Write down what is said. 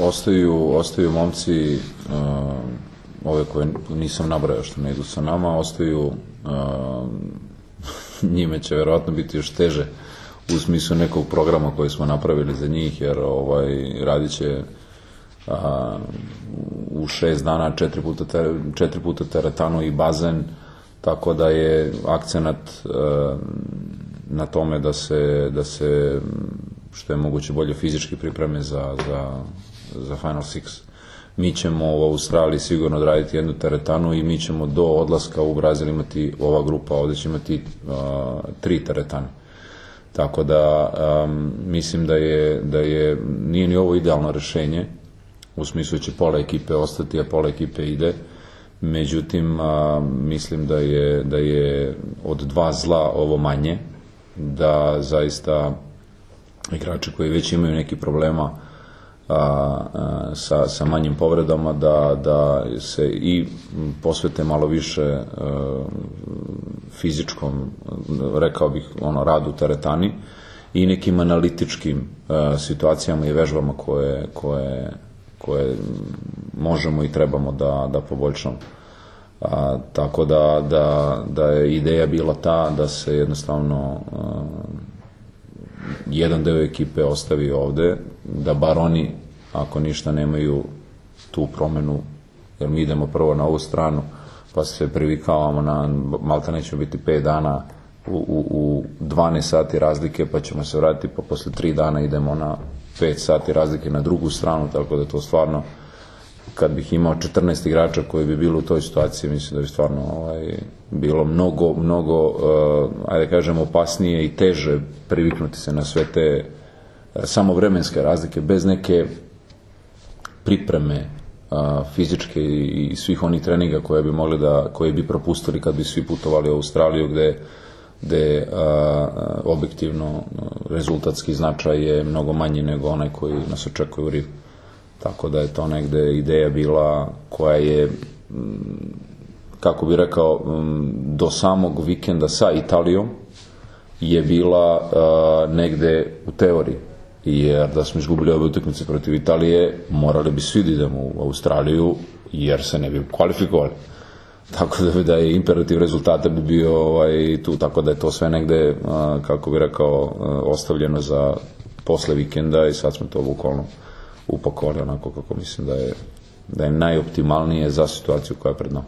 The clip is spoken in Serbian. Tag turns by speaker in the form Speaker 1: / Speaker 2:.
Speaker 1: ostaju momci, ove koje nisam nabrojao što ne idu sa nama, ostaju, njime će verovatno biti još teže u smislu nekog programa koji smo napravili za njih, jer radit će u 6 dana 4 puta teretanu i bazen, tako da je akcenat na tome da se što je moguće bolje fizički pripreme za Final Six. Mi ćemo u Australiji sigurno odraditi jednu teretanu i mi ćemo do odlaska u Brazil imati, ova grupa ovde će imati 3 teretane. Tako da mislim da nije ni ovo idealno rešenje, u smislu će pola ekipe ostati, a pola ekipe ide. Međutim, mislim da je od 2 zla ovo manje, da zaista igrači koji već imaju neki problema sa manjim povredama, da se i posvete malo više fizičkom, rekao bih, radu u teretani i nekim analitičkim situacijama i vežbama koje možemo i trebamo da poboljšamo. Tako da je ideja bila ta da se jednostavno jedan deo ekipe ostavi ovde, da bar oni, ako ništa, nemaju tu promenu, jer mi idemo prvo na ovu stranu, pa se privikavamo na, malta nećemo biti 5 dana u 12 sati razlike, pa ćemo se vratiti, pa posle 3 dana idemo na 5 sati razlike na drugu stranu, tako da to stvarno, kad bih imao 14 igrača koji bi bili u toj situaciji, mislim da bi stvarno bilo mnogo, ajde kažem, opasnije i teže priviknuti se na sve te samo vremenske razlike, bez neke pripreme fizičke i svih onih treninga koje bi propustili kad bi svi putovali u Australiju, gde objektivno rezultatski značaj je mnogo manji nego onaj koji nas očekuje u Rivu. Tako da je to negde ideja bila koja je, kako bi rekao, do samog vikenda sa Italijom je bila negde u teoriji. Jer da smo izgubili ove utakmice protiv Italije, morali bi svi da idemo u Australiju, jer se ne bi kvalifikovali. Tako da je imperativ rezultata bi bio tu, tako da je to sve negde, kako bi rekao, ostavljeno za posle vikenda i sad smo to bukvalno upakovali onako kako mislim da je najoptimalnije za situaciju koja je pred nama.